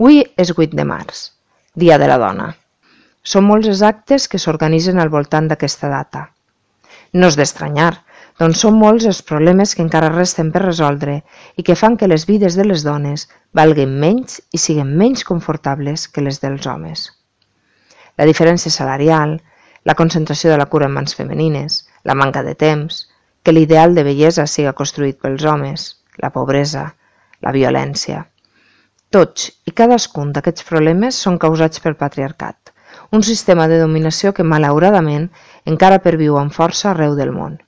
Avui és 8 de març, Dia de la Dona. Són molts els actes que s'organitzen al voltant d'aquesta data. No és d'estranyar, doncs són molts els problemes que encara resten per resoldre i que fan que les vides de les dones valguin menys i siguin menys confortables que les dels homes. La diferència salarial, la concentració de la cura en mans femenines, la manca de temps, que l'ideal de bellesa siga construït pels homes, la pobresa, la violència. Tots i cadascun d'aquests problemes són causats pel patriarcat, un sistema de dominació que malauradament encara perviu amb força arreu del món.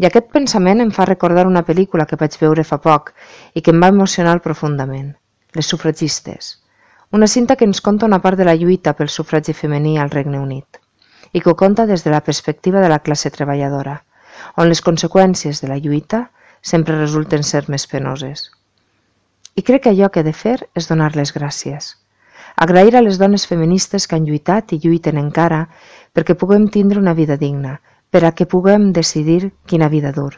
I aquest pensament em fa recordar una pel·lícula que vaig veure fa poc i que em va emocionar profundament, Les sufragistes, una cinta que ens conta una part de la lluita pel sufragi femení al Regne Unit i que ho conta des de la perspectiva de la classe treballadora, on les conseqüències de la lluita sempre resulten ser més penoses. I crec que allò que he de fer és donar-les gràcies. Agrair a les dones feministes que han lluitat i lluiten encara perquè puguem tindre una vida digna, per a que puguem decidir quina vida dur.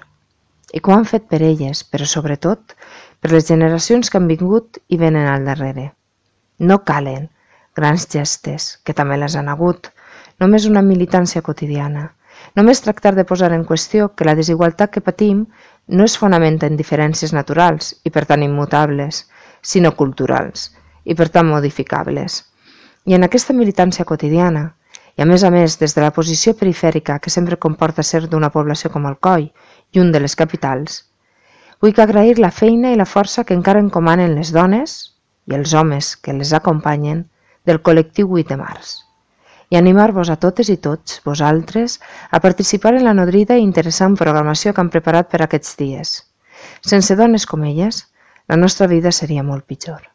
I que ho han fet per elles, però sobretot per les generacions que han vingut i venen al darrere. No calen grans gestes, que també les han hagut, només una militància quotidiana. Només tractar de posar en qüestió que la desigualtat que patim no es fonamenta en diferències naturals i per tant immutables, sinó culturals i per tant modificables. I en aquesta militància quotidiana, i a més des de la posició perifèrica que sempre comporta ser d'una població com Alcoi, lluny de les capitals, vull agrair la feina i la força que encara encomanen les dones i els homes que les acompanyen del col·lectiu 8 de març. I animar-vos a totes i tots, vosaltres, a participar en la nodrida i interessant programació que han preparat per aquests dies. Sense dones com elles, la nostra vida seria molt pitjor.